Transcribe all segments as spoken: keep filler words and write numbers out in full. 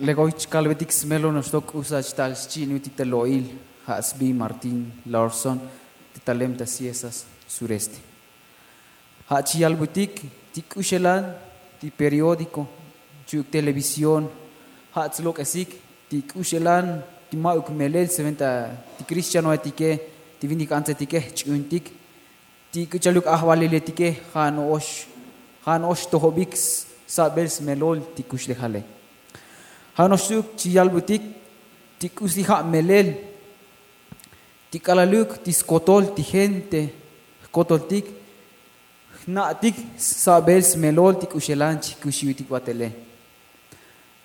Legoy chkalbetik smelo noxtok k'usa chtal xchi'nutik ta lo'il. Ja' sbi martin larson, te talem ta ciesas sureste. Ja' chi yalbutik ti k'uxelan ti periódiko, chu'uk televisión, ja' tslok'esik ti k'uxelan ti ma'uk melel sventa ti kristianoetike, ti vinik antsetike jch'uuntik ti k'u chaluk ajvaliletike. Ja' no'ox ja' no'ox tojobik sabel smelol ti kuxlejale. Ja' no'ox chu'uk chi yalbutik ti k'usi ja' melel ti k'alaluk ti skotol ti gente jkotoltik jna'tik sabel smelol ti k'uxelan chi jkuxiutik batele.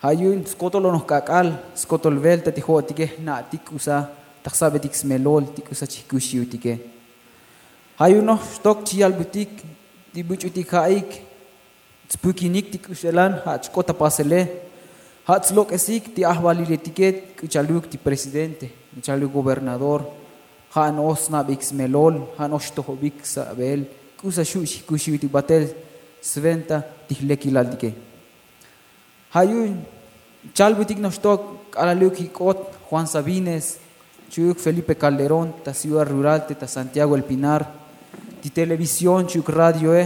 Ja' yu'un skotol onoj k'ak'al skotol velta ti jo'otike jna'tik k'usa ta jsabetik smelol ti k'usa chi jkuxiutike. Ja' yu'un noxtok chi yalbutik ti buch'utik ja'ik tspukinik ti k'uxelan ja' chk'ot ta pasele. Ja' tslok'esik ti ajvaliletike k'u chaluk ti presidente, k'u chaluk gobernador. Ja' no'ox sna'beik smelol, ja' no'ox tojobik sabel k'usa xu' xijkuxiutik batel sventa ti jlekilaltike. Ja' yu'un chalbutik noxtok k'alaluk jik'ot juan sabines, chu'uk felipe calderón ta ciudad rural te ta santiago el pinar, ti televisión chu'uk radioe.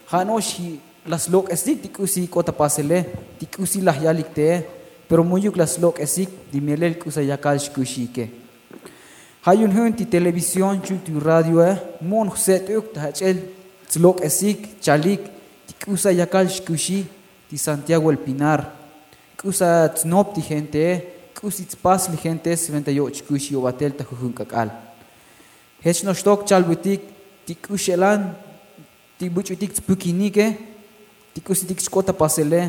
Ja' no'ox laj slok'esik ti k'usi jik'ot ta pasele, ti k'usi laj yalik te'e, pero mu'yuk laj slok'esik ti melel k'usa yakal xkuxiike. Ja' yu'un ju'un ti televisión chu'uk ti radioe mo'on jset'uk ta jach'el tslok'esik chalik ti k'usa yakal xkuxi ti santiago el pinar, k'usa tsnop ti gentee, k'usi tspas li gentee sventa yo'och kuxi yo'batel ta jujun k'ak'al. Jech noxtok chalbutik ti k'uxelan ti buch'utik tspukinike, ti k'usitik chk'ot ta pasele.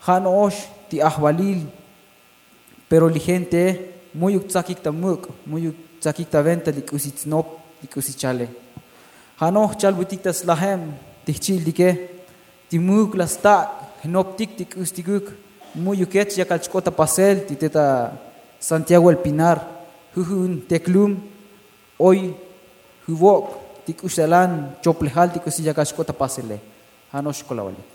Ja' no'ox ti ajvalil, pero li gentee mu'yuk tsakik ta muk', mu'yuk tsakik ta venta li k'usi tsnop, li k'usi chale. Ja' no'ox chalbutik ta slajem ti jchi'iltike, ti mu'yuk laj stak' jnoptik ti k'ustikuk mu'yukech yakal chk'ot ta pasel ti te ta santiago el pinar, jujun teklum oy juvok' ti k'uxelan choplejal ti k'usi yakal xk'ot ta pasele. Ja' no'ox kolavale.